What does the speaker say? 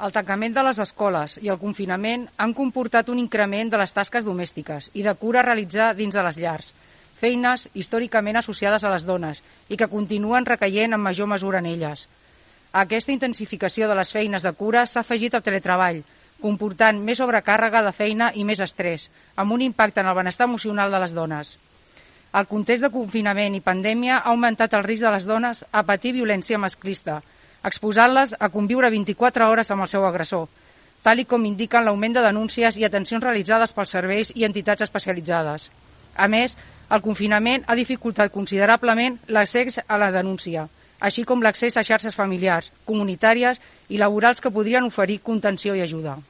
El tancament de les escoles i el confinament han comportat un increment de les tasques domèstiques i de cura a realitzar dins de les llars, feines històricament associades a les dones i que continuen recaient en major mesura en elles. A aquesta intensificació de les feines de cura s'ha afegit el teletreball, comportant més sobrecàrrega de feina i més estrès, amb un impacte en el benestar emocional de les dones. El context de confinament i pandèmia ha augmentat el risc de les dones a patir violència masclista, exposant-les a conviure 24 hores amb el seu agressor, tal com indiquen l'augment de denúncies i atencions realitzades pels serveis i entitats especialitzades. A més, el confinament ha dificultat considerablement l'accés a la denúncia, així com l'accés a xarxes familiars, comunitàries i laborals que podrien oferir contenció i ajuda.